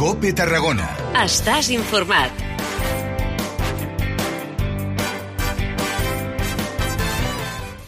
COPE Tarragona. Estàs informat.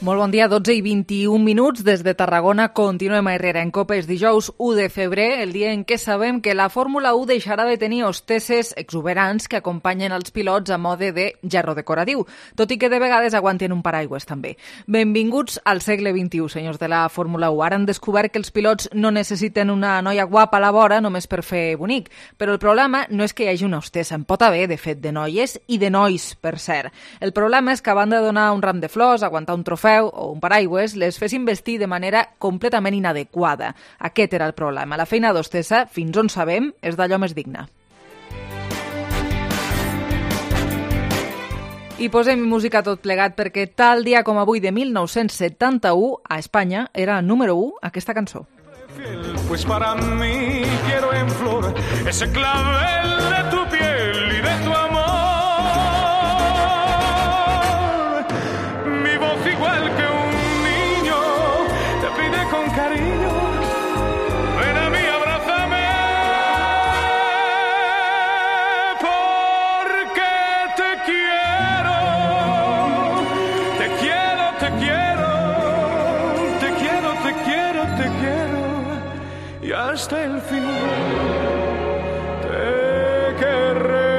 Molt bon dia, 12 i 21 minuts. Des de Tarragona continuem a Herrera en COPE. És dijous 1 de febrer, el dia en què sabem que la Fórmula 1 deixarà de tenir hostesses exuberants que acompanyen els pilots a mode de gerro decoratiu, tot i que de vegades aguanten un paraigües també. Benvinguts al segle XXI, senyors de la Fórmula 1. Ara han descobert que els pilots no necessiten una noia guapa a la vora només per fer bonic, però el problema no és que hi hagi una hostessa, en pot haver, de fet, de noies i de nois, per cert. El problema és que a banda de donar un ram de flors, aguantar un trofeu o un paraigües, les fessin vestir de manera completament inadequada. Aquest era el problema. La feina d'hostessa, fins on sabem, és d'allò més digna. I posem música tot plegat perquè tal dia com avui de 1971 a Espanya era número 1 aquesta cançó. Pues para mí quiero en flor ese clavel de tu piel y de tu amor. Mi voz igual que un niño te pide con cariño. Ven a mí, abrázame, porque te quiero, te quiero, te quiero, te quiero, te quiero, te quiero. Y hasta el final te querré.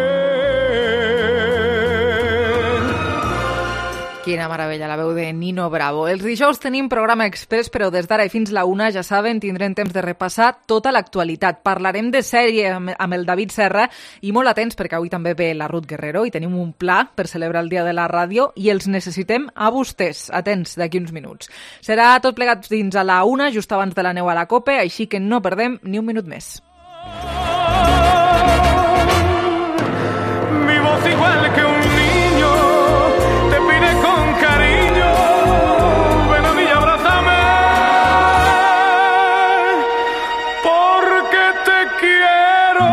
Quina meravella, la veu de Nino Bravo. Els dijous tenim programa express, però des d'ara i fins la 1, ja saben, tindrem temps de repassar tota l'actualitat. Parlarem de sèrie amb el David Serra i molt atents perquè avui també ve la Ruth Guerrero i tenim un pla per celebrar el Dia de la Ràdio i els necessitem a vostès. Atents d'aquí uns minuts. Serà tot plegat fins a la 1, just abans de la neu a la COPE, així que no perdem ni un minut més. Mi voz igual que un niño te pide con cariño. Ven a mí, abrázame, porque te quiero,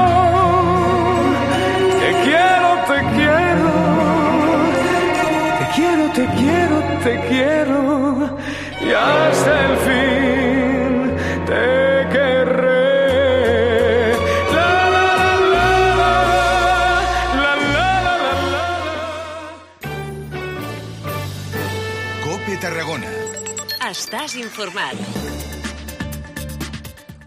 te quiero, te quiero, te quiero, te quiero, te quiero, y hasta el fin te querré. COPE Tarragona. Estàs informat.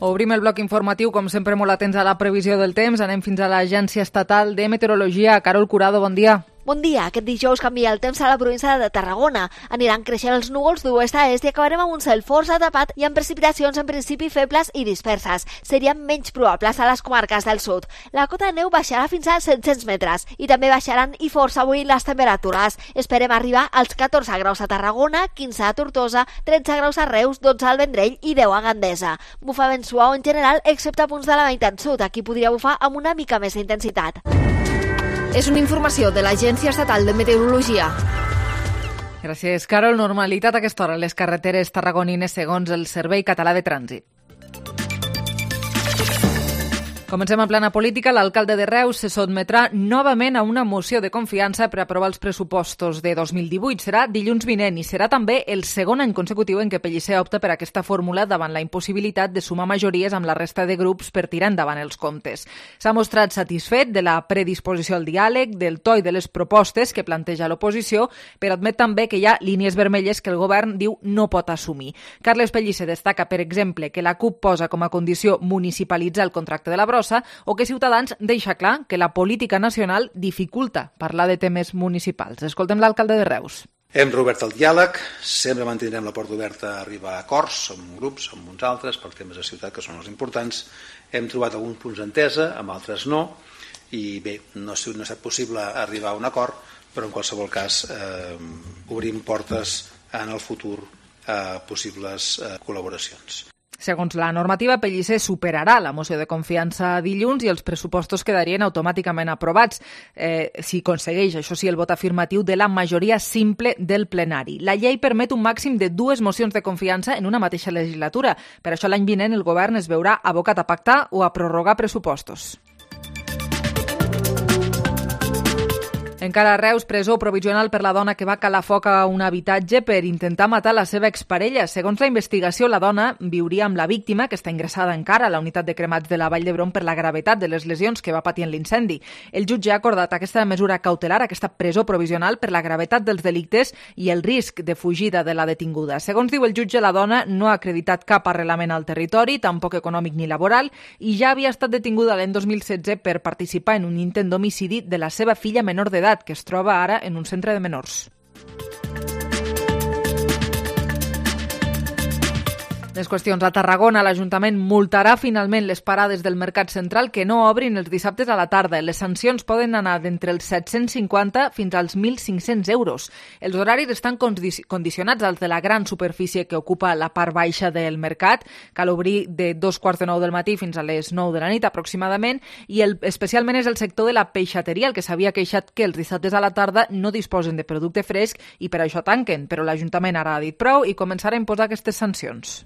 Obrim el bloc informatiu, com sempre molt atents a la previsió del temps. Anem fins a l'Agència Estatal de Meteorologia. Carol Curado, bon dia. Bon dia. Aquest dijous canvia el temps a la província de Tarragona. Aniran creixent els núvols d'oest a est i acabarem amb un cel força tapat i amb precipitacions en principi febles i disperses. Serien menys probables a les comarques del sud. La cota de neu baixarà fins als 700 metres i també baixaran i força avui les temperatures. Esperem arribar als 14 graus a Tarragona, 15 a Tortosa, 13 graus a Reus, 12 al Vendrell i 10 a Gandesa. Bufa vent suau en general, excepte a punts de la meitat sud. Aquí podria bufar amb una mica més d'intensitat. És una informació de l'Agència Estatal de Meteorologia. Gràcies, Carol. Normalitat a aquesta hora a les carreteres tarragonines segons el Servei Català de Trànsit. Comencem en plana política. L'alcalde de Reus se sotmetrà novament a una moció de confiança per aprovar els pressupostos de 2018. Serà dilluns vinent i serà també el segon any consecutiu en què Pellicer opta per aquesta fórmula davant la impossibilitat de sumar majories amb la resta de grups per tirar endavant els comptes. S'ha mostrat satisfet de la predisposició al diàleg, del to i de les propostes que planteja l'oposició, però admet també que hi ha línies vermelles que el govern diu no pot assumir. Carles Pellicer destaca, per exemple, que la CUP posa com a condició municipalitzar el contracte de la brossa o que Ciutadans deixa clar que la política nacional dificulta parlar de temes municipals. Escoltem l'alcalde de Reus. Hem reobert el diàleg, sempre mantindrem la porta oberta a arribar a acords amb grups, amb uns altres, per temes de ciutat que són els importants. Hem trobat alguns punts d'entesa, amb altres no, i bé, no ha estat possible arribar a un acord, però en qualsevol cas obrim portes en el futur a possibles col·laboracions. Segons la normativa, Pellicer superarà la moció de confiança dilluns i els pressupostos quedarien automàticament aprovats si aconsegueix, això sí, el vot afirmatiu de la majoria simple del plenari. La llei permet un màxim de 2 mocions de confiança en una mateixa legislatura. Per això l'any vinent el govern es veurà abocat a pactar o a prorrogar pressupostos. Encara a Reus, presó provisional per la dona que va calar foc a un habitatge per intentar matar la seva exparella. Segons la investigació, la dona viuria amb la víctima, que està ingressada encara a la unitat de cremats de la Vall d'Hebron per la gravetat de les lesions que va patir en l'incendi. El jutge ha acordat aquesta mesura cautelar, aquesta presó provisional, per la gravetat dels delictes i el risc de fugida de la detinguda. Segons diu el jutge, la dona no ha acreditat cap arrelament al territori, tampoc econòmic ni laboral, i ja havia estat detinguda l'any 2016 per participar en un intent d'homicidi de la seva filla menor d'edat, que es troba ara en un centre de menors. Més qüestions. A Tarragona, l'Ajuntament multarà finalment les parades del Mercat Central que no obrin els dissabtes a la tarda. Les sancions poden anar d'entre els 750 fins als 1.500 euros. Els horaris estan condicionats als de la gran superfície que ocupa la part baixa del mercat. Cal obrir de 2:45 del matí fins a les 9 de la nit aproximadament, i especialment és el sector de la peixateria el que s'havia queixat que els dissabtes a la tarda no disposen de producte fresc i per això tanquen. Però l'Ajuntament ara ha dit prou i començarà a imposar aquestes sancions.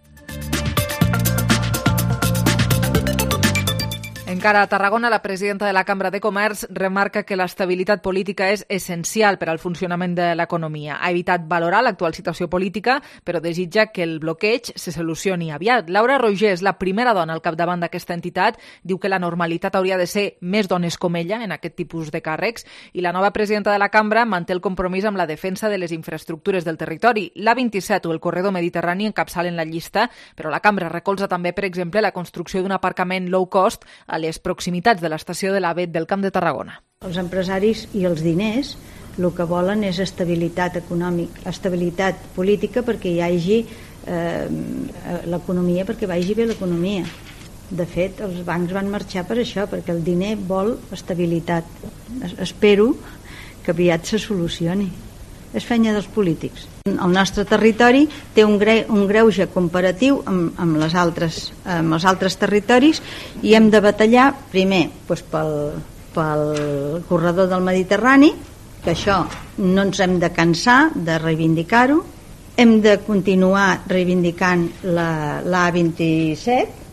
Encara a Tarragona, la presidenta de la Cambra de Comerç remarca que l'estabilitat política és essencial per al funcionament de l'economia. Ha evitat valorar l'actual situació política, però desitja que el bloqueig se solucioni aviat. Laura Roger és la primera dona al capdavant d'aquesta entitat. Diu que la normalitat hauria de ser més dones com ella en aquest tipus de càrrecs, i la nova presidenta de la Cambra manté el compromís amb la defensa de les infraestructures del territori. L'A27 o el corredor mediterrani encapçalen la llista, però la Cambra recolza també, per exemple, la construcció d'un aparcament low cost a les proximitats de l'estació de l'AVE del Camp de Tarragona. Els empresaris i els diners el que volen és estabilitat econòmica, estabilitat política perquè hi hagi l'economia, perquè vagi bé l'economia. De fet, els bancs van marxar per això, perquè el diner vol estabilitat. Espero que aviat se solucioni. És feina dels polítics. El nostre territori té un greuge comparatiu amb els altres territoris i hem de batallar primer pel corredor del Mediterrani, que això no ens hem de cansar de reivindicar-ho. Hem de continuar reivindicant l'A27.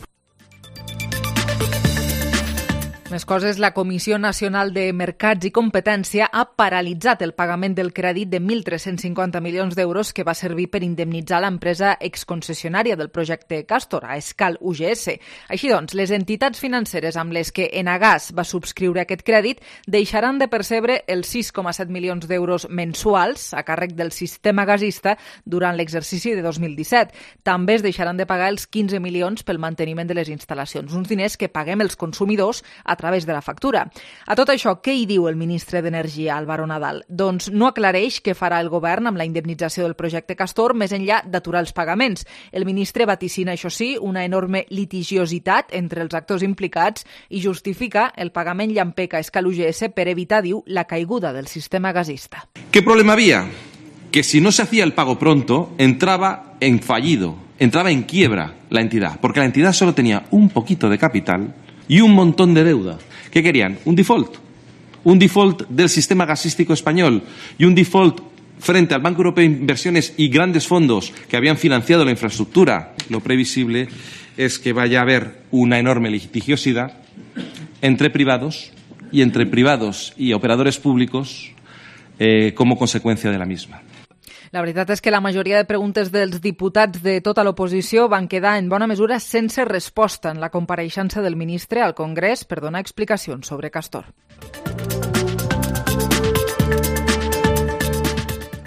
Més coses, la Comissió Nacional de Mercats i Competència ha paralitzat el pagament del crèdit de 1.350 milions d'euros que va servir per indemnitzar l'empresa exconcessionària del projecte Castor, a Escal UGS. Així doncs, les entitats financeres amb les que Enagas va subscriure aquest crèdit deixaran de percebre els 6,7 milions d'euros mensuals a càrrec del sistema gasista durant l'exercici de 2017. També es deixaran de pagar els 15 milions pel manteniment de les instal·lacions, uns diners que paguem els consumidors a través de la factura. A tot això, què hi diu el ministre d'Energia, Álvaro Nadal? Doncs no aclareix què farà el govern amb la indemnització del projecte Castor més enllà d'aturar els pagaments. El ministre vaticina, això sí, una enorme litigiositat entre els actors implicats i justifica el pagament llampeca a Escal UGS per evitar, diu, la caiguda del sistema gasista. ¿Qué problema había? Que si no se hacía el pago pronto, entraba en fallido, entraba en quiebra la entidad, porque la entidad solo tenía un poquito de capital y un montón de deuda. ¿Qué querían? Un default. Un default del sistema gasístico español y un default frente al Banco Europeo de Inversiones y grandes fondos que habían financiado la infraestructura. Lo previsible es que vaya a haber una enorme litigiosidad entre privados y operadores públicos como consecuencia de la misma. La veritat és que la majoria de preguntes dels diputats de tota l'oposició van quedar en bona mesura sense resposta en la compareixença del ministre al Congrés per donar explicacions sobre Castor.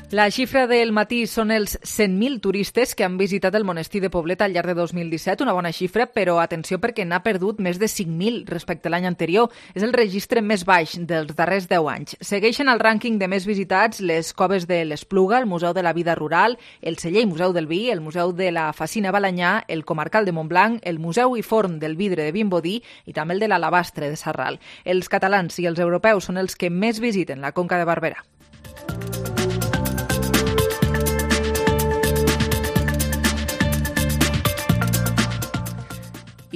La xifra del matí són els 100.000 turistes que han visitat el monestir de Poblet al llarg de 2017, una bona xifra, però atenció perquè n'ha perdut més de 5.000 respecte a l'any anterior. És el registre més baix dels darrers 10 anys. Segueixen al rànquing de més visitats les coves de l'Espluga, el Museu de la Vida Rural, el Celler i Museu del Vi, el Museu de la Facina Balanyà, el Comarcal de Montblanc, el Museu i Forn del Vidre de Vimbodí i també el de l'Alabastre de Sarral. Els catalans i els europeus són els que més visiten la Conca de Barberà.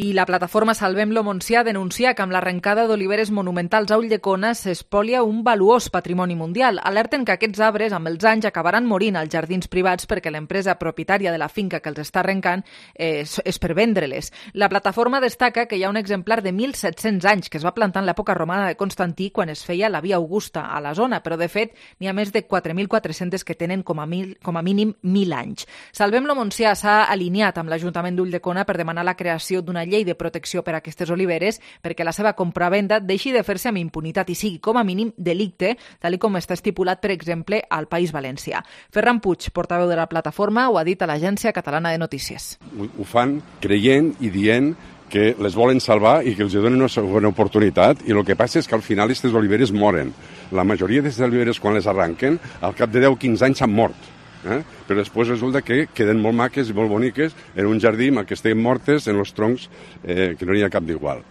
I la plataforma Salvem-lo Montsià denuncia que amb l'arrencada d'oliveres monumentals a Ulldecona s'espolia un valuós patrimoni mundial. Alerten que aquests arbres amb els anys acabaran morint als jardins privats perquè l'empresa propietària de la finca que els està arrencant és per vendre-les. La plataforma destaca que hi ha un exemplar de 1.700 anys que es va plantar en l'època romana de Constantí quan es feia la Via Augusta a la zona, però de fet n'hi ha més de 4.400 que tenen com a mínim 1.000 anys. Salvem-lo Montsià s'ha alineat amb l'Ajuntament d'Ulldecona per demanar la creació d'una llei de protecció per a aquestes oliveres perquè la seva compravenda deixi de fer-se amb impunitat i sigui com a mínim delicte, tal com està estipulat, per exemple, al País Valencià. Ferran Puig, portaveu de la plataforma, ho ha dit a l'Agència Catalana de Notícies. Ho fan creient i dient que les volen salvar i que els donen una segona oportunitat, i el que passa és que al final aquestes oliveres moren. La majoria d'aquestes oliveres, quan les arranquen, al cap de 10-15 anys s'han mort. Però després resulta que queden molt maques i molt boniques en un jardí que estiguin mortes en els troncs que no hi ha cap d'igual.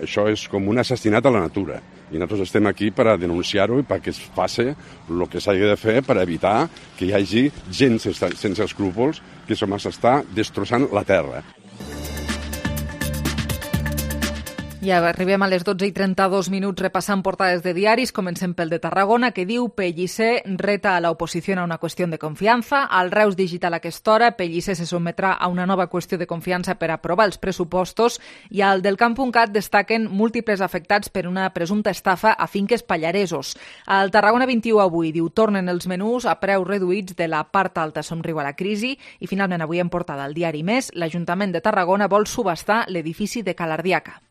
Això és com un assassinat a la natura i nosaltres estem aquí per a denunciar-ho i perquè es faci el que s'hagi de fer per evitar que hi hagi gent sense escrúpols que s'està destrossant la terra. Ja arribem a les 12:32 repassant portades de diaris. Comencem pel de Tarragona, que diu Pellicer reta a la oposición a una cuestión de confianza. Al Reus Digital a aquesta hora, Pellicer se sometrà a una nova qüestió de confiança per aprovar els pressupostos, i al del Camp.cat destaquen múltiples afectats per una presumpta estafa a finques pallaresos. Al Tarragona 21 avui diu tornen els menús a preus reduïts de la part alta somriu a la crisi, i finalment avui en portada al diari Més, l'Ajuntament de Tarragona vol subhastar l'edifici de Calardiaca.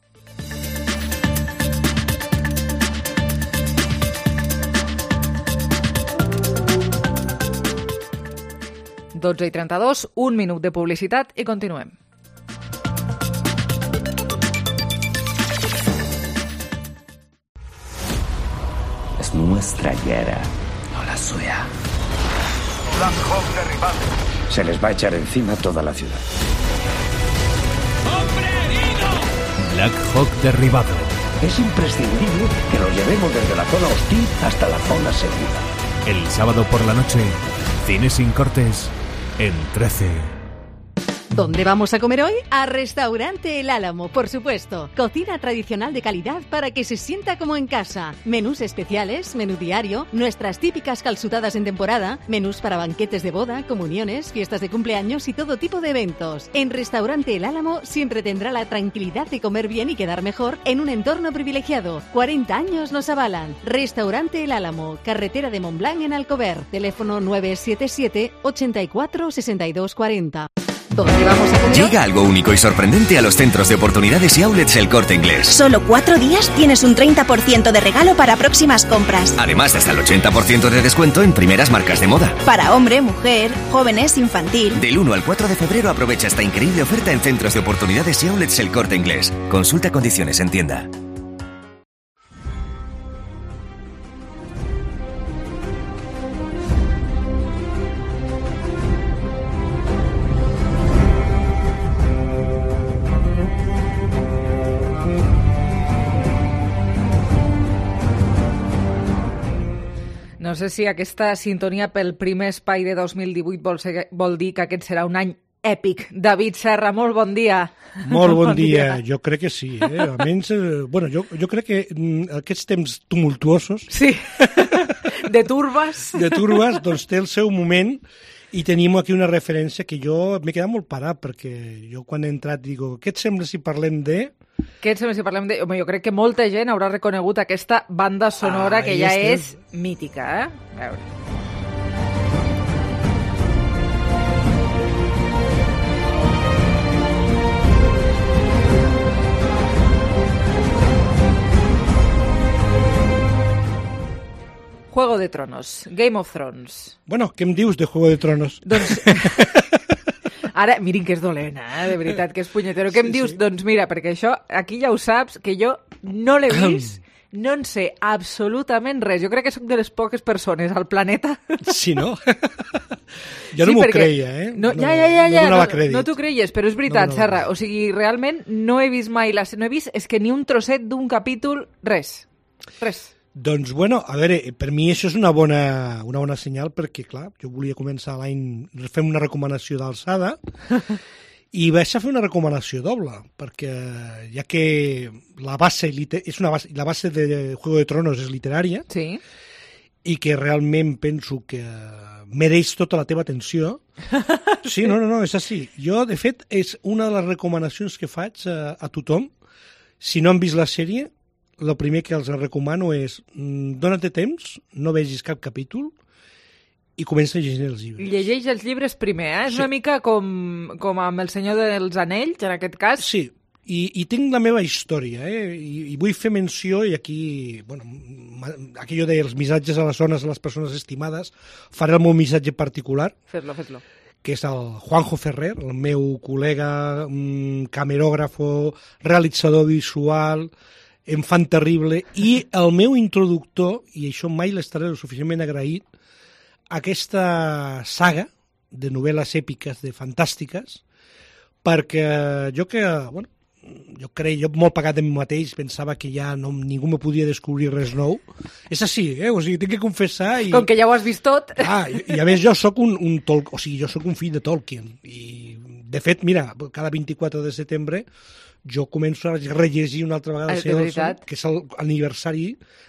– 12:32, un minut de publicitat i continuem. Es nuestra Yara, no la suya. Black Hawk derribado. Se les va a echar encima toda la ciudad. ¡Hombre herido! Black Hawk derribado. Es imprescindible que lo llevemos desde la zona hostil hasta la zona segura. El sábado por la noche, Cine sin cortes en 13. ¿Dónde vamos a comer hoy? A Restaurante El Álamo, por supuesto. Cocina tradicional de calidad para que se sienta como en casa. Menús especiales, menú diario, nuestras típicas calzutadas en temporada, menús para banquetes de boda, comuniones, fiestas de cumpleaños y todo tipo de eventos. En Restaurante El Álamo siempre tendrá la tranquilidad de comer bien y quedar mejor en un entorno privilegiado. 40 años nos avalan. Restaurante El Álamo, carretera de Montblanc en Alcover. Teléfono 977 84 62 40. ¿Dónde vamos a comer? Llega algo único y sorprendente a los centros de oportunidades y outlets El Corte Inglés. Solo 4 días tienes un 30% de regalo para próximas compras. Además de hasta el 80% de descuento en primeras marcas de moda. Para hombre, mujer, jóvenes, infantil. Del 1 al 4 de febrero aprovecha esta increíble oferta en centros de oportunidades y outlets El Corte Inglés. Consulta condiciones en tienda. No sé si aquesta sintonia pel primer espai de 2018 vol dir que aquest serà un any èpic. David Serra, molt bon dia. Molt bon dia. Jo crec que sí. Almenys, bueno, jo crec que aquests temps tumultuosos... Sí, de turbes. De turbes, doncs té el seu moment, i tenim aquí una referència que jo m'he quedat molt parat, perquè jo quan he entrat digo, què et sembla si parlem de... Què et sembla si parlem de... Home, jo crec que molta gent haurà reconegut aquesta banda sonora que ja és mítica, eh? A veure. Juego de Tronos, Game of Thrones. Bueno, què em dius de Juego de Tronos? Doncs... Ara, mirin que és dolent, de veritat, que és punyetero. Què em dius? Sí. Doncs mira, perquè això, aquí ja ho saps, que jo no l'he vist, no en sé absolutament res. Jo crec que soc de les poques persones al planeta. Sí, no? Jo no m'ho creia, eh? No, no t'ho creies, però és veritat, Serra. O sigui, realment no he vist mai... No he vist, és que ni un trosset d'un capítol, res. Doncs, bueno, a veure, per mi això és una bona senyal, perquè, clar, jo volia començar l'any fent una recomanació d'alçada I vaig a fer una recomanació doble, perquè ja que la base de Juego de Tronos és literària, sí, i que realment penso que mereix tota la teva atenció. Sí, no, és així. Jo, de fet, és una de les recomanacions que faig a tothom. Si no han vist la sèrie, el primer que els recomano és dóna-te temps, no vegis cap capítol, i comença a llegir els llibres. Llegeix els llibres primer, eh? És una mica com amb El Senyor dels Anells, en aquest cas. Sí, i tinc la meva història, i vull fer menció, i aquí, bueno, aquello dels missatges a les zones de les persones estimades, faré el meu missatge particular. Fes-lo. Que és el Juanjo Ferrer, el meu col·lega, camerògrafo, realitzador visual, enfant terrible, i el meu introductor, i això mai l'estaré suficientment agraït, aquesta saga de novel·les èpiques, de fantàstiques, perquè jo molt pagat de mi mateix, pensava que ja ningú me podia descobrir res nou. És així, o sigui, tinc que confessar... Com que ja ho has vist tot. I a més jo sóc jo sóc un fill de Tolkien, i de fet, mira, cada 24 de setembre jo començo a rellegir una altra vegada el Senyor dels Anells, que és l'aniversari,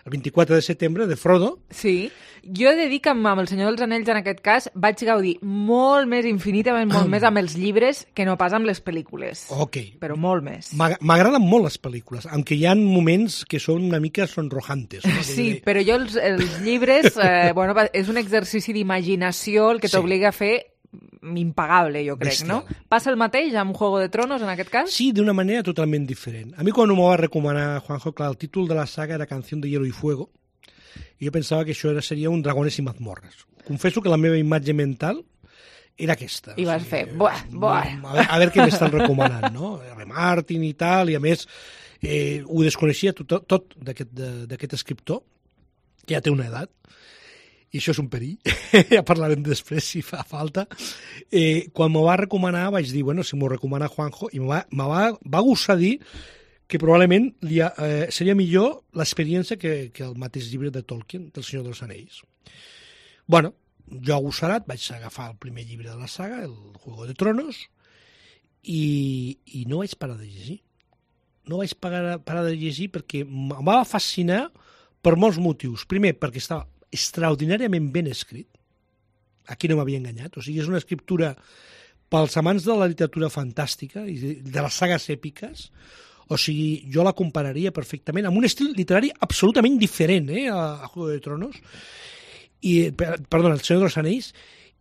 el 24 de setembre, de Frodo. Sí, jo he de dir que amb El Senyor dels Anells, en aquest cas, vaig gaudir molt més, infinitament molt més amb els llibres que no pas amb les pel·lícules. Ok. Però molt més. M'agraden molt les pel·lícules, aunque hi ha moments que són una mica sonrojantes. No? Sí, però jo els llibres, és un exercici d'imaginació el que t'obliga a fer impagable, jo crec, bestial. No? Passa el mateix amb Juego de Tronos, en aquest cas? Sí, d'una manera totalment diferent. A mi quan m'ho va recomanar Juanjo, clar, el títol de la saga era Canción de Hielo y Fuego, i jo pensava que això seria un Dragones i mazmorres. Confesso que la meva imatge mental era aquesta. I vas fer, buah. A veure què m'estan recomanant, no? R. Martin i tal, i a més ho desconeixia tot d'aquest escriptor, que ja té una edat, i això és un perill, ja parlarem després si fa falta. Quan m'ho va recomanar vaig dir, bueno, si m'ho recomana Juanjo, i me va gustar dir que probablement seria millor l'experiència que el mateix llibre de Tolkien, del Senyor dels Anells. Bueno, jo agossarat vaig agafar el primer llibre de la saga, el Juego de Tronos, i no vaig parar de llegir. No vaig parar de llegir perquè em va fascinar per molts motius. Primer, perquè estava extraordinàriament ben escrit. Aquí no m'havia enganyat. O sigui, és una escriptura pels amants de la literatura fantàstica i de les sagues èpiques. O sigui, jo la compararia perfectament amb un estil literari absolutament diferent a Juego de Tronos, El Senyor dels Anells,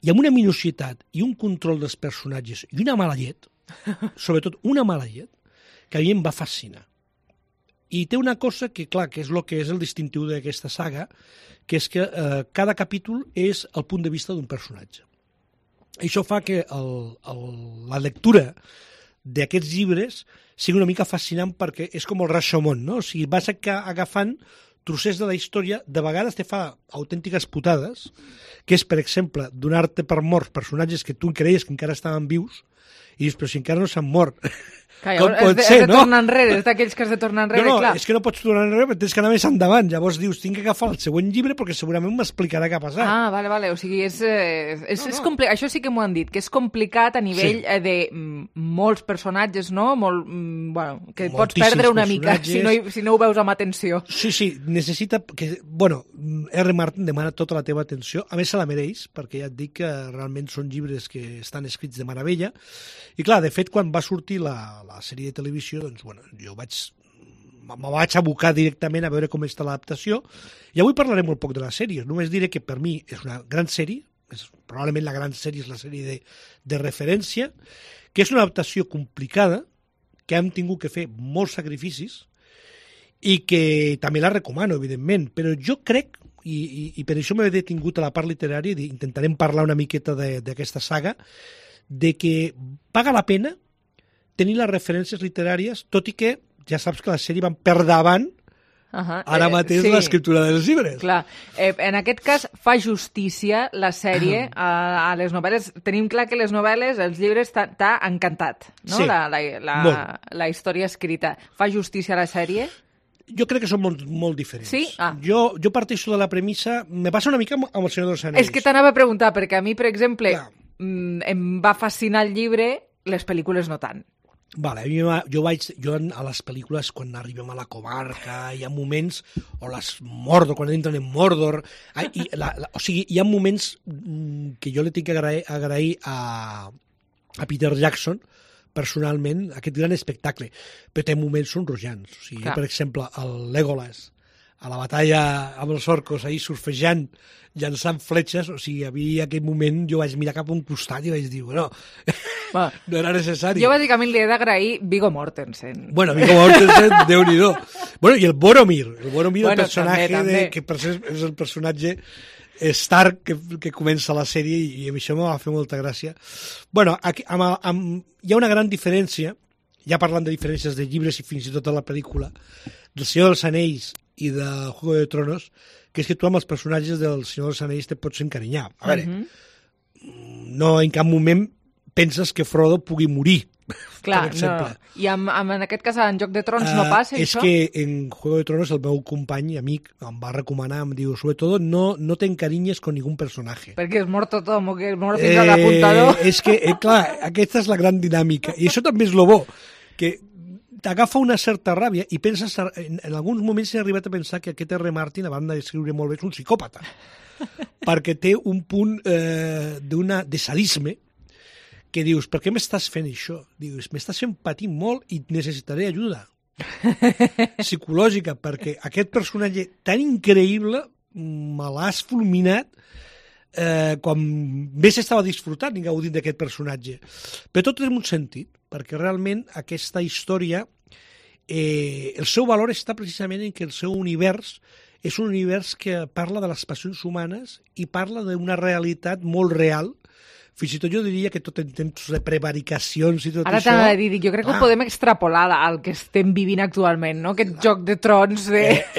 i amb una minucitat i un control dels personatges i una mala llet, sobretot una mala llet, que a mi em va fascinar. I té una cosa que, clar, que és el distintiu d'aquesta saga, que és que cada capítol és el punt de vista d'un personatge. Això fa que la lectura d'aquests llibres sigui una mica fascinant perquè és com el Rashomon, no? O sigui, vas agafant trossets de la història, de vegades te fa autèntiques putades, que és, per exemple, donar-te per morts personatges que tu creies que encara estaven vius, i dius, però si encara no s'han mort. Com pot ser, no? És de tornar enrere, és d'aquells que has de tornar enrere, clar. No, és que no pots tornar enrere, perquè tens que anar més endavant. Llavors dius, tinc que agafar el següent llibre perquè segurament m'explicarà què ha passat. Ah, vale, o sigui, és complicat. Això sí que m'ho han dit, que és complicat a nivell de molts personatges, no? Que pots perdre una mica si no ho veus amb atenció. Sí, necessita que... R. Martin demana tota la teva atenció, a més se la mereix, perquè ja et dic que realment són llibres que estan escrits de meravella. I clar, de fet, quan va sortir la sèrie de televisió, doncs, jo me vaig abocar directament a veure com està l'adaptació, i avui parlaré molt poc de la sèrie. Només diré que per mi és una gran sèrie, probablement la gran sèrie és la sèrie de referència, que és una adaptació complicada, que hem tingut que fer molts sacrificis, i que també la recomano, evidentment, però jo crec, i per això m'he detingut a la part literària, i intentarem parlar una miqueta d'aquesta saga, de que paga la pena tenir les referències literàries, tot i que ja saps que la sèrie van per davant ara mateix l'escriptura dels llibres. Clar. En aquest cas fa justícia la sèrie a les novel·les. Tenim clar que les novel·les, els llibres, t'ha encantat, no? Sí, la història escrita. Fa justícia a la sèrie? Jo crec que són molt diferents. Sí? Jo parteixo de la premissa... Me passa una mica amb El Senyor dels Anells. És que t'anava a preguntar, perquè a mi, per exemple, em va fascinar el llibre les pel·lícules no tant. Vale, jo a les pel·lícules, quan arribem a la comarca, hi ha moments, o les Mordor, quan entren en Mordor, o sigui, hi ha moments que jo li tinc que agrair a Peter Jackson, personalment, aquest gran espectacle, però té moments sonrojants. O sigui, per exemple, el Legolas, a la batalla amb els orcos, ahir surfejant, llançant fletxes, o sigui, havia aquell moment, jo vaig mirar cap a un costat i vaig dir, bueno, no era necessari. Jo bàsicament li he d'agrair Viggo Mortensen. Bueno, Viggo Mortensen, Déu-n'hi-do. Bueno, i el Boromir, el personatge també. Que és el personatge Stark que comença la sèrie i això m'ha fet molta gràcia. Bueno, hi ha una gran diferència, ja parlant de diferències de llibres i fins i tot de la pel·lícula, del Senyor dels Anells i de Juego de Tronos, que és que tu amb els personatges del Senyor dels Anells te pots encarinyar. A veure, no en cap moment penses que Frodo pugui morir. Clar, no. I en aquest cas en Joc de Trons no passa és això? És que en Juego de Tronos el meu company i amic em va recomanar, em diu, sobretot no te encarinyes con ningún personaje. Perquè es mort tothom o que es mort fins a l'apuntador. És que, clar, aquesta és la gran dinàmica. I això també és lo bo, que t'agafa una certa ràbia i penses, en alguns moments he arribat a pensar que aquest R. Martin, a banda d'escriure molt bé, és un psicòpata. Perquè té un punt de sadisme que dius, per què m'estàs fent això? Dius, m'estàs fent patir molt i necessitaré ajuda psicològica, perquè aquest personatge tan increïble me l'has fulminat quan més estava disfrutant i gaudint d'aquest personatge. Però tot té un sentit, perquè realment aquesta història, el seu valor està precisament en que el seu univers és un univers que parla de les passions humanes i parla d'una realitat molt real. Fins i tot jo diria que tot en temps de prevaricacions i tot Ara això... Ara t'ha de dir, jo crec que ho podem extrapolar al que estem vivint actualment, no? Aquest Joc de Trons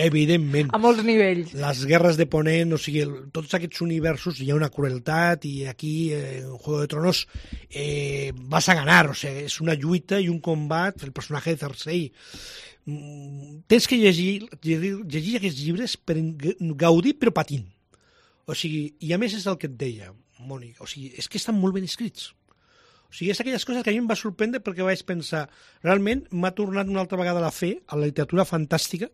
evidentment. A molts nivells. Les guerres de Ponent, o sigui, tots aquests universos hi ha una crueltat i aquí, en Juego de Tronos, vas a ganar, o sigui, és una lluita i un combat, el personatge de Cersei. Tens que llegir aquests llibres per gaudir però patint. O sigui, i a més és el que et deia, Mònica, o sigui, és que estan molt ben escrits. O sigui, és aquelles coses que a mi em va sorprendre perquè vaig pensar, realment m'ha tornat una altra vegada la fe a la literatura fantàstica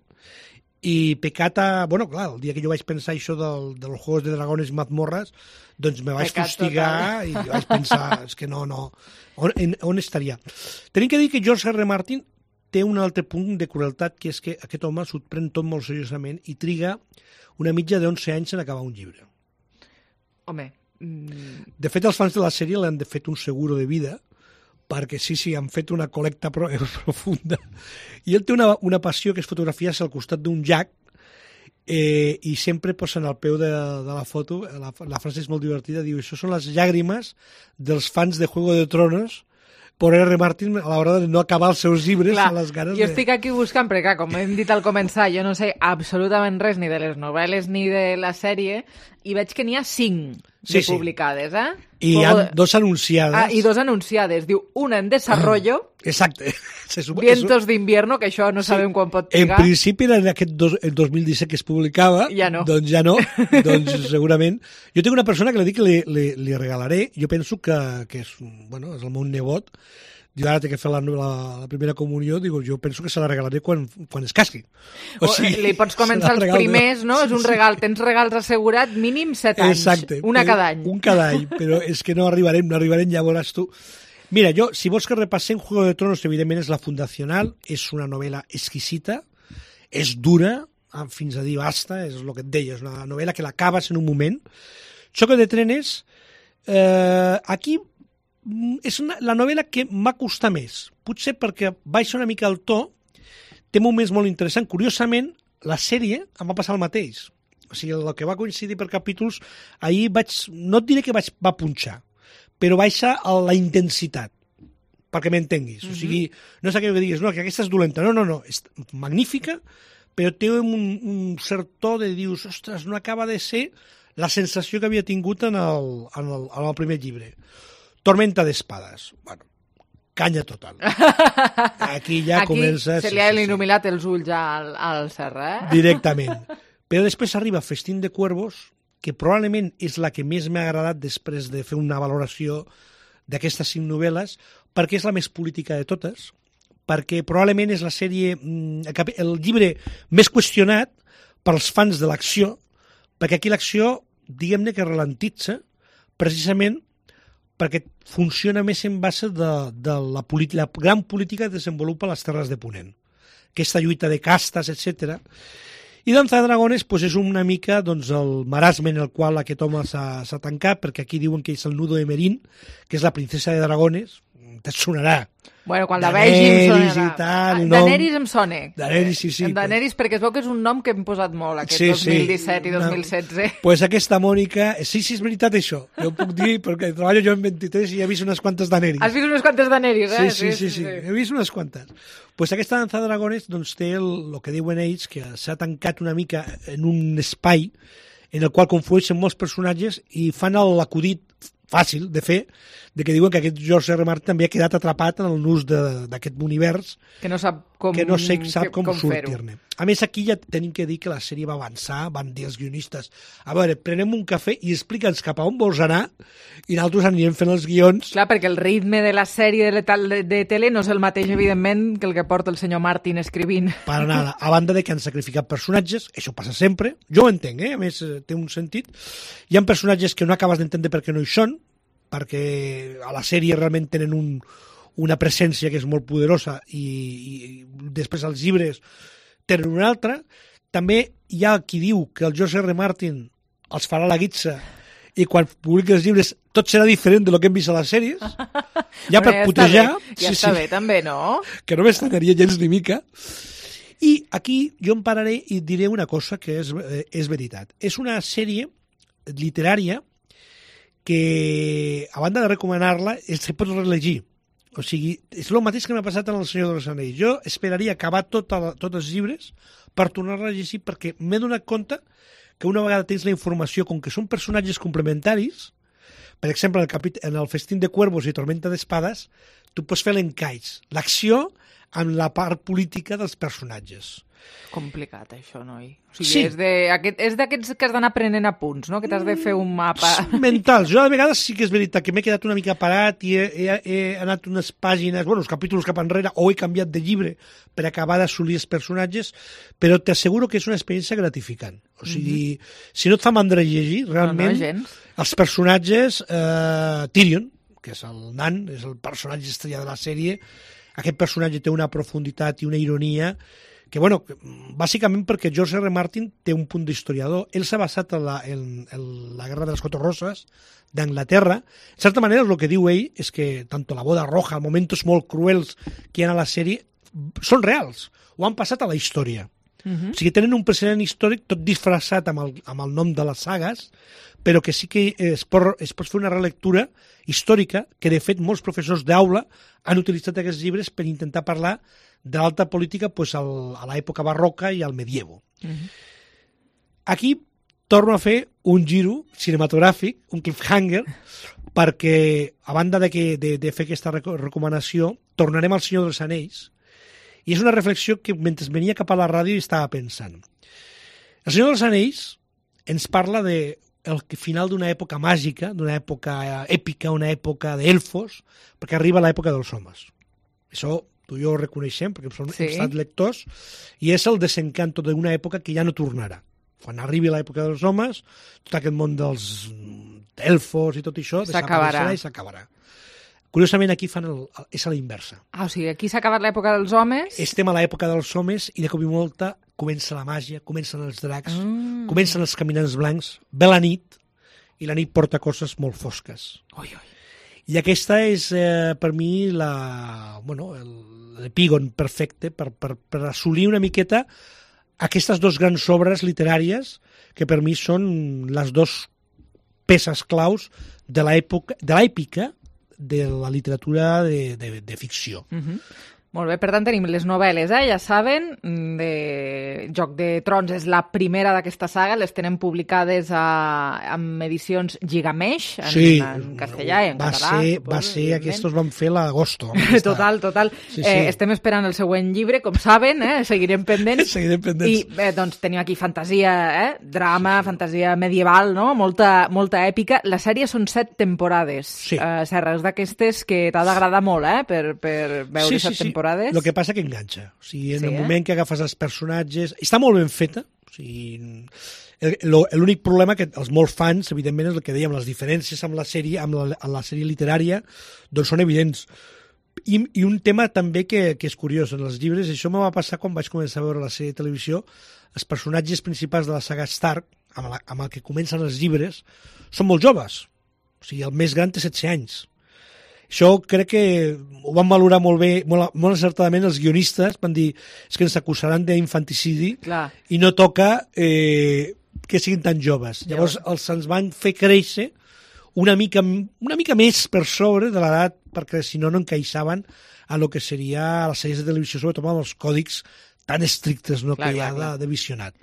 i pecat a... Bueno, clar, el dia que jo vaig pensar això dels Juegos de Dragones i Mazmorras, doncs me vaig fustigar i vaig pensar, és que no, on estaria? Tenim que dir que George R. Martin té un altre punt de crueltat, que és que aquest home s'ho pren tot molt seriosament i triga una mitja de 11 anys en acabar un llibre. Home... De fet, els fans de la sèrie l'han fet un seguro de vida, perquè sí, han fet una col·lecta profunda. I ell té una passió que és fotografiar-se al costat d'un llac i sempre posen al peu de la foto, la frase és molt divertida, diu, això són les llàgrimes dels fans de Juego de Tronos por R. Martin a l'hora de no acabar els seus llibres. Clar, a les ganes jo estic aquí buscant, perquè com hem dit al començar, jo no sé absolutament res ni de les novel·les ni de la sèrie, i veig que n'hi ha 5 publicades, I hi ha 2 anunciades. I 2 anunciades. Diu, una en desarrollo, exacte. Vientos d'invierno, que això no sabem quan pot trigar. En principi era aquest el 2017 que es publicava, doncs ja no, doncs segurament. Jo tinc una persona que li dic que li regalaré, jo penso que és el meu nebot, jo ara té que fer la primera comunió, jo penso que se la regalaré quan es casqui. O sigui, li pots començar els primers, no? És un regal, tens regals assegurat mínim 7 anys. Exacte. Una cada any. Un cada any, però és que no arribarem, ja veuràs tu. Mira, si vols que repassem Juego de Tronos, evidentment és la fundacional, és una novel·la exquisita, és dura, fins a dir basta, és el que et deia, és una novel·la que l'acabes en un moment. Xoque de trenes, aquí és la novel·la que m'ha costat més, potser perquè baixa una mica el to, té moments molt interessants. Curiosament, la sèrie em va passar el mateix. O sigui, el que va coincidir per capítols, ahir no et diré que va punxar, però baixa la intensitat, perquè m'entenguis. O sigui, no és aquell que diguis, no, que aquesta és dolenta. No, és magnífica, però té un cert to de dius, ostres, no acaba de ser la sensació que havia tingut en el primer llibre. Tormenta d'espades. Bueno, canya total. Aquí ja comença... Aquí se li ha il·luminat els ulls al Serra, Directament. Però després arriba Festín de Cuervos, que probablement és la que més m'ha agradat després de fer una valoració d'aquestes 5 novel·les, perquè és la més política de totes, perquè probablement és la sèrie, el llibre més qüestionat pels fans de l'acció, perquè aquí l'acció, diguem-ne que ralentitza, precisament perquè funciona més en base de la gran política que desenvolupa les Terres de Ponent. Aquesta lluita de castes, etc. I Danza de Dragones és una mica el marasme en el qual aquest home s'ha tancat, perquè aquí diuen que és el nudo de Merín, que és la princesa de Dragones, te sonarà. Bueno, quan la vegi em sonarà. Daenerys em sona. Daenerys, sí. Daenerys, perquè es veu que és un nom que hem posat molt, aquest 2017 i 2016. Pues aquesta Mònica... Sí, és veritat això. Jo puc dir, perquè treballo jo en 23 i he vist unes quantes Daenerys. Has vist unes quantes Daenerys, eh? Sí. He vist unes quantes. Pues aquesta Danza de Dragones té el que diuen ells, que s'ha tancat una mica en un espai en el qual conflueixen molts personatges i fan l'acudit fàcil de fer, de que diuen que aquest George R. Martin també ha quedat atrapat en el nus d'aquest univers que no sap com sortir-ne. A més, aquí ja tenim que dir que la sèrie va avançar, van dir els guionistes, a veure, prenem un cafè i explica'ns cap a on vols anar i nosaltres anirem fent els guions. Clar, perquè el ritme de la sèrie de tele no és el mateix, evidentment, que el que porta el senyor Martin escrivint. Para nada. A banda de que han sacrificat personatges, això passa sempre, jo ho entenc, a més té un sentit. Hi ha personatges que no acabes d'entendre per què no hi són, perquè a la sèrie realment tenen una presència que és molt poderosa i després els llibres tenen una altra. També hi ha qui diu que el George R. Martin els farà la guitza i quan publiqui els llibres tot serà diferent de lo que hem vist a les sèries. Ja per putejar. Ja està bé, també, no? Que no m'estranyaria gens ni mica. I aquí jo em pararé i diré una cosa que és veritat. És una sèrie literària que, a banda de recomanar-la, se pot relegir. O sigui, és el mateix que m'ha passat en El Senyor dels Anells. Jo esperaria acabar tots els llibres per tornar-la a llegir, perquè m'he donat compte que una vegada tens la informació, com que són personatges complementaris, per exemple, en el Festín de Cuervos i Tormenta d'Espades, tu pots fer l'encaix, l'acció amb la part política dels personatges. Complicat, això, noi. O sigui, és d'aquests que has d'anar prenent apunts, no? Que t'has de fer un mapa... Mentals. Jo, a vegades, sí que és veritat que m'he quedat una mica parat i he anat unes pàgines, uns capítols cap enrere, o he canviat de llibre per acabar d'assolir els personatges, però t'asseguro que és una experiència gratificant. O sigui, si no et fa mandra llegir, realment, els personatges... Tyrion, que és el nan, és el personatge estrella de la sèrie, aquest personatge té una profunditat i una ironia que, bueno, bàsicament perquè George R. Martin té un punt d'historiador. Ell s'ha basat en la Guerra de les Quatre Roses d'Anglaterra. En certa manera, el que diu ell és que tant la boda roja, els moments molt cruels que hi ha a la sèrie, són reals, o han passat a la història. O sigui, tenen un precedent històric tot disfressat amb el nom de les sagues, però que sí que es pot fer una relectura històrica que, de fet, molts professors d'aula han utilitzat aquests llibres per intentar parlar de l'alta política a l'època barroca i al medievo. Aquí torno a fer un giro cinematogràfic, un cliffhanger, perquè, a banda de fer aquesta recomanació, tornarem al Senyor dels Anells, i és una reflexió que, mentre venia cap a la ràdio, estava pensant. El Senyor dels Anells ens parla del final d'una època màgica, d'una època èpica, una època d'elfos, perquè arriba l'època dels homes. Això tu i jo ho reconeixem, perquè hem estat lectors, i és el desencanto d'una època que ja no tornarà. Quan arribi l'època dels homes, tot aquest món dels elfos i tot això desapareixerà i s'acabarà. Curiosament, aquí és a la inversa. O sigui, aquí s'ha acabat l'època dels homes. Estem a l'època dels homes i de cop i volta comença la màgia, comencen els dracs, comencen els caminants blancs, ve la nit, i la nit porta coses molt fosques. I aquesta és, per mi, l'epígon perfecte per assolir una miqueta aquestes dues grans obres literàries que per mi són les dues peces claus de l'èpica de la literatura de ficció. Molt bé, per tant tenim les novel·les, ja saben, de Joc de Trons és la primera d'aquesta saga, les tenen publicades amb edicions Gigamesh, en castellà i en català. Va ser, aquests van fer l'agosto. Total. Estem esperant el següent llibre, com saben, seguirem pendents. I doncs tenim aquí fantasia, drama, fantasia medieval, no? Molta èpica. La sèrie són 7 temporades. Serra, és d'aquestes que t'ha d'agradar molt, per veure 7 temporades. El que passa que enganxa. O sigui, en el moment que agafes els personatges... Està molt ben feta. O sigui, l'únic problema que els molts fans, evidentment, és el que dèiem, les diferències amb la sèrie, amb la sèrie literària, doncs són evidents. I un tema també que és curiós en els llibres, això me va passar quan vaig començar a veure la sèrie de televisió, els personatges principals de la saga Stark, amb el que comencen els llibres, són molt joves. O sigui, el més gran té 16 anys. Això crec que ho van valorar molt bé, molt encertadament els guionistes, van dir és que ens acusaran d'infanticidi i no toca que siguin tan joves. Llavors ens van fer créixer una mica més per sobre de l'edat, perquè si no encaixaven a lo que seria les sèries de televisió, sobretot amb els còdics tan estrictes que hi ha de visionat.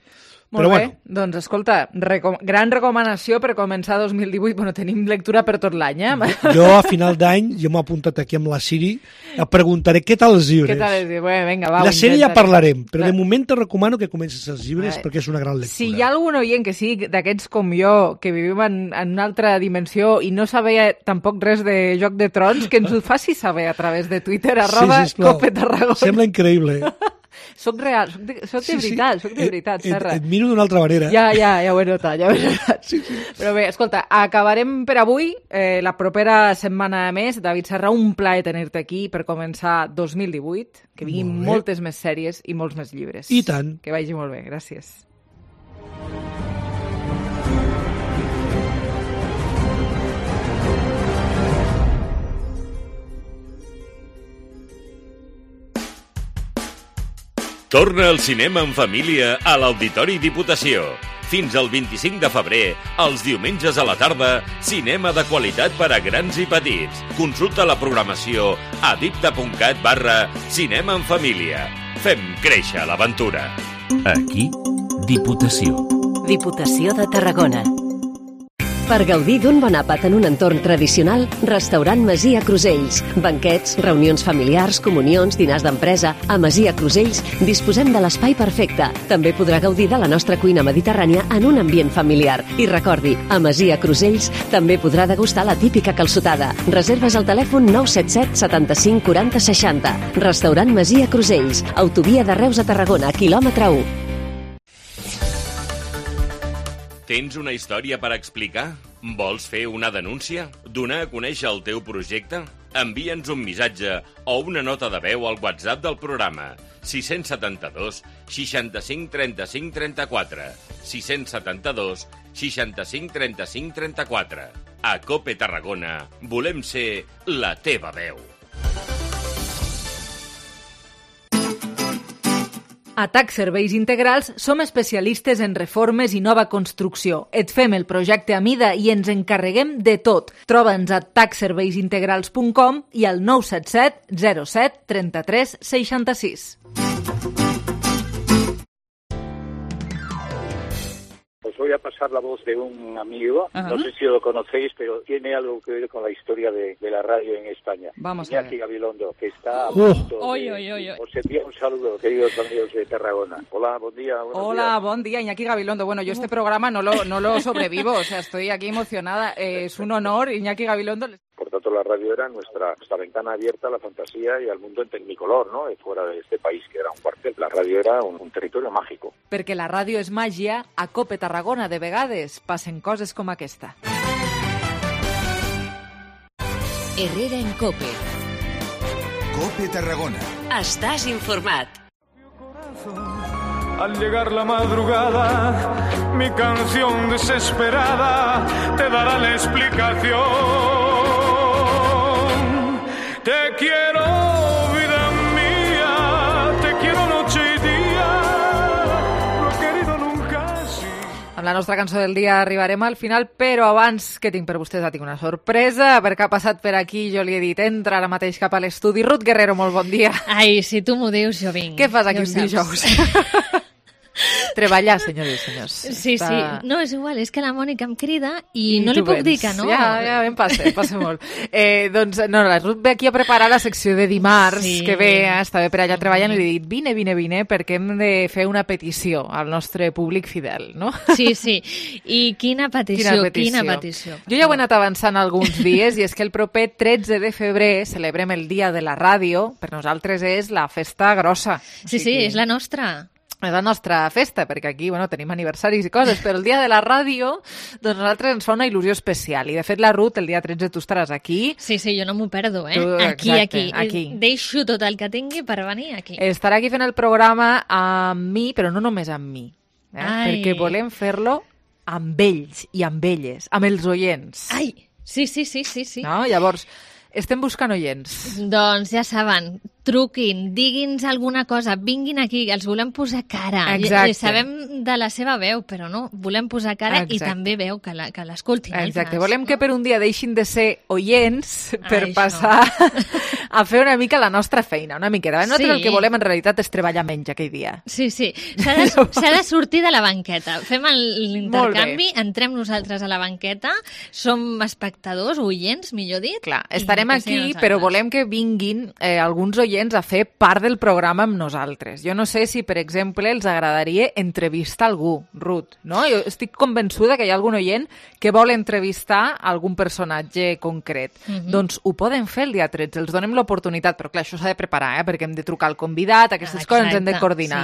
Molt bé, doncs escolta, gran recomanació per començar 2018. Bueno, tenim lectura per tot l'any, Jo a final d'any, m'he apuntat aquí amb la Siri, et preguntaré què tal els llibres. Què tal els llibres? Bueno, vinga, va. La sèrie ja parlarem, però de moment te recomano que comences els llibres perquè és una gran lectura. Si hi ha algun oient que sigui d'aquests com jo, que vivim en una altra dimensió i no sabia tampoc res de Joc de Trons, que ens ho faci saber a través de Twitter, @CopeTarragona. Sembla increïble. Soc real, soc de veritat, Serra. Et miro d'una altra manera. Ja ho he notat, Però bé, escolta, acabarem per avui. La propera setmana més, David Serra, un plaer tenir-te aquí per començar 2018, que vinguin moltes més sèries i molts més llibres. I tant. Que vagi molt bé, gràcies. Torna al cinema en família a l'Auditori Diputació. Fins al 25 de febrer, els diumenges a la tarda, cinema de qualitat per a grans i petits. Consulta la programació a dipta.cat/cinema en família. Fem créixer l'aventura. Aquí, Diputació. Diputació de Tarragona. Per gaudir d'un bon àpat en un entorn tradicional, Restaurant Masia Crusells. Banquets, reunions familiars, comunions, dinars d'empresa. A Masia Crusells disposem de l'espai perfecte. També podrà gaudir de la nostra cuina mediterrània en un ambient familiar. I recordi, a Masia Crusells també podrà degustar la típica calçotada. Reserves al telèfon 977 75 40 60. Restaurant Masia Crusells. Autovia de Reus a Tarragona, quilòmetre 1. Tens una història per explicar? Vols fer una denúncia? Donar a conèixer el teu projecte? Envia'ns un missatge o una nota de veu al WhatsApp del programa 672 65 35 34 672 65 35 34. A Cope Tarragona volem ser la teva veu. A TAC Serveis Integrals som especialistes en reformes i nova construcció. Et fem el projecte a mida i ens encarreguem de tot. Troba'ns a tacserveisintegrals.com i al 977 07 33 66. Os voy a pasar la voz de un amigo, no sé si lo conocéis, pero tiene algo que ver con la historia de la radio en España. Vamos a ver. Iñaki Gabilondo, que está a punto Os envía un saludo, queridos amigos de Tarragona. Hola, buen día. Hola, buen día, Iñaki Gabilondo. Bueno, yo este programa no lo sobrevivo, o sea, estoy aquí emocionada. Es un honor, Iñaki Gabilondo. Por tanto, la radio era nuestra ventana abierta a la fantasía y al mundo en tecnicolor, ¿no? Fuera de este país, que era un cuartel. La radio era un territorio mágico. Perquè la ràdio és màgia, a Cope Tarragona de vegades passen coses com aquesta. Herrera en Cope. Cope Tarragona. Estàs informat. Al llegar la madrugada, mi canción desesperada te dará la explicación. Te quiero, vida mía, te quiero noche y día, no he querido nunca así. Amb la nostra cançó del dia arribarem al final, però abans que tinc per vostès tinc una sorpresa, perquè ha passat per aquí, jo li he dit, entra ara mateix cap a l'estudi. Ruth Guerrero, molt bon dia. Ai, si tu m'ho dius, jo vinc. Què fas aquí un dijous? Treballar, senyores i senyors. Sí, sí. No, és igual, és que la Mònica em crida i no li puc dir que no. Ja em passa molt. Doncs, no, la Ruth ve aquí a preparar la secció de dimarts, que ve, estava per allà treballant i li he dit, vine, perquè hem de fer una petició al nostre públic fidel, no? Sí. I quina petició. Jo ja ho he anat avançant alguns dies i és que el proper 13 de febrer celebrem el Dia de la Ràdio. Per nosaltres és la festa grossa. Sí, és la nostra. És la nostra festa, perquè aquí tenim aniversaris i coses, però el dia de la ràdio, doncs a nosaltres ens fa una il·lusió especial. I de fet, la Ruth, el dia 13 tu estaràs aquí. Sí, jo no m'ho perdo, Tu, aquí. aquí. Deixo tot el que tingui per venir aquí. Estarà aquí fent el programa amb mi, però no només amb mi, perquè volem fer-lo amb ells i amb elles, amb els oients. Ai, sí. No? Llavors, estem buscant oients. Doncs ja saben, truquin, digui'ns alguna cosa, vinguin aquí, els volem posar cara. Exacte. Sabem de la seva veu, però no, volem posar cara i també veu que l'escoltin. Exacte, volem que per un dia deixin de ser oients per passar a fer una mica la nostra feina, una miqueta. Nosaltres el que volem en realitat és treballar menys aquell dia. Sí, s'ha de sortir de la banqueta. Fem l'intercanvi, entrem nosaltres a la banqueta, som espectadors, oients, millor dit. Clar, estarem aquí, però volem que vinguin alguns oients a fer part del programa amb nosaltres. Jo no sé si, per exemple, els agradaria entrevistar algú, Ruth, no? Jo estic convençuda que hi ha algun oient que vol entrevistar algun personatge concret. Doncs ho poden fer el dia 13, els donem l'oportunitat, però clar, això s'ha de preparar, perquè hem de trucar al convidat, aquestes coses ens hem de coordinar.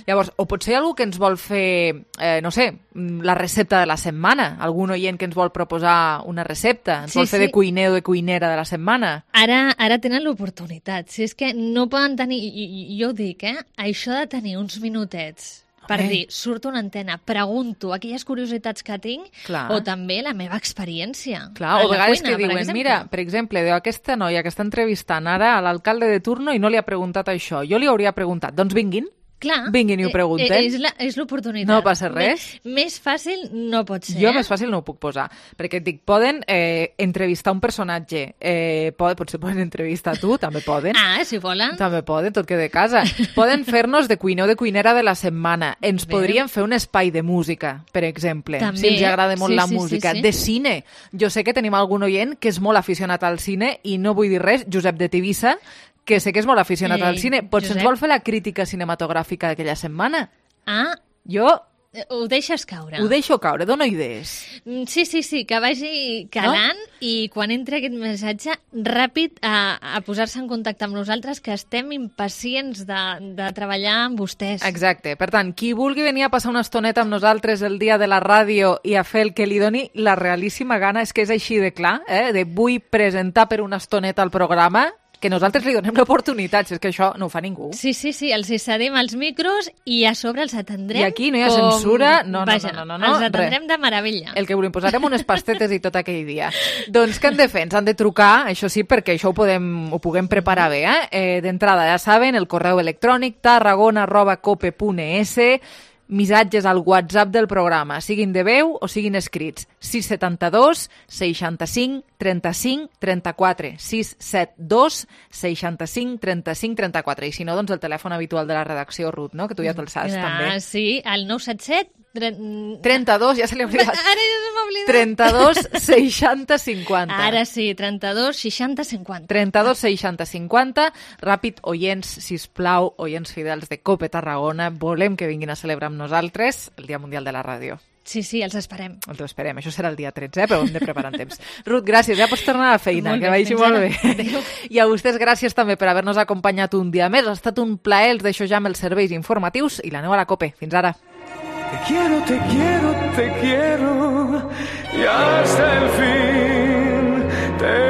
Llavors, o potser algú que ens vol fer, no sé, la recepta de la setmana, algun oient que ens vol proposar una recepta, ens vol fer de cuiner o de cuinera de la setmana. Ara tenen l'oportunitat. Si és que no poden tenir, jo ho dic, això de tenir uns minutets per dir, surto una antena, pregunto aquelles curiositats que tinc, o també la meva experiència. Clar, o a vegades que diuen, mira, per exemple, aquesta noia que està entrevistant ara a l'alcalde de turno i no li ha preguntat això, jo li hauria preguntat, doncs vinguin. Clar, vinguin i ho pregunten. És l'oportunitat. No passa res. Més fàcil no pot ser. Jo més fàcil no ho puc posar, perquè et dic, poden entrevistar un personatge, potser poden entrevistar tu, també poden. Si volen. També poden, tot que de casa. Poden fer-nos de cuiner o de cuinera de la setmana. Ens podrien fer un espai de música, per exemple, si els agrada molt la música. De cine. Jo sé que tenim algun oient que és molt aficionat al cine i no vull dir res, Josep de Tivissa, que sé que és molt aficionat al cine. Potser ens vol fer la crítica cinematogràfica d'aquella setmana. Jo... Ho deixes caure. Ho deixo caure, dono idees. Sí, que vagi calant i quan entri aquest missatge, ràpid a posar-se en contacte amb nosaltres, que estem impacients de treballar amb vostès. Exacte. Per tant, qui vulgui venir a passar una estoneta amb nosaltres el dia de la ràdio i a fer el que li doni la realíssima gana, és que és així de clar, de vull presentar per una estoneta al programa, que nosaltres li donem l'oportunitat, si és que això no ho fa ningú. Sí, els cedim els micros i a sobre els atendrem. I aquí no hi ha censura, no. Els atendrem de meravella. El que volem, posarem unes pastetes i tot aquell dia. Doncs què han de fer? Ens han de trucar, això sí, perquè això ho puguem preparar bé. D'entrada, ja saben, el correu electrònic tarragona@cope.es, missatges al WhatsApp del programa, siguin de veu o siguin escrits. 672 65 35 34. 672 65 35 34. I si no, doncs el telèfon habitual de la redacció, Ruth, no? Que tu ja te'l saps, també. Sí, el 977 32, ja se li ha oblidat. Ara ja se m'ha oblidat. 32 60 50. Ara sí, 32 60 50. 32 60 50. Ràpid, oients, sisplau, oients fidels de COPE Tarragona, volem que vinguin a celebrar amb nosaltres el Dia Mundial de la Ràdio. Sí, els esperem. Els esperem. Això serà el dia 13, però hem de preparar en temps. Ruth, gràcies. Ja pots tornar a la feina, que vagi molt bé. Adéu. I a vostès gràcies també per haver-nos acompanyat un dia més. Ha estat un plaer. Els deixo ja amb els serveis informatius i l'aneu a la COPE. Fins ara. Te quiero y hasta el fin te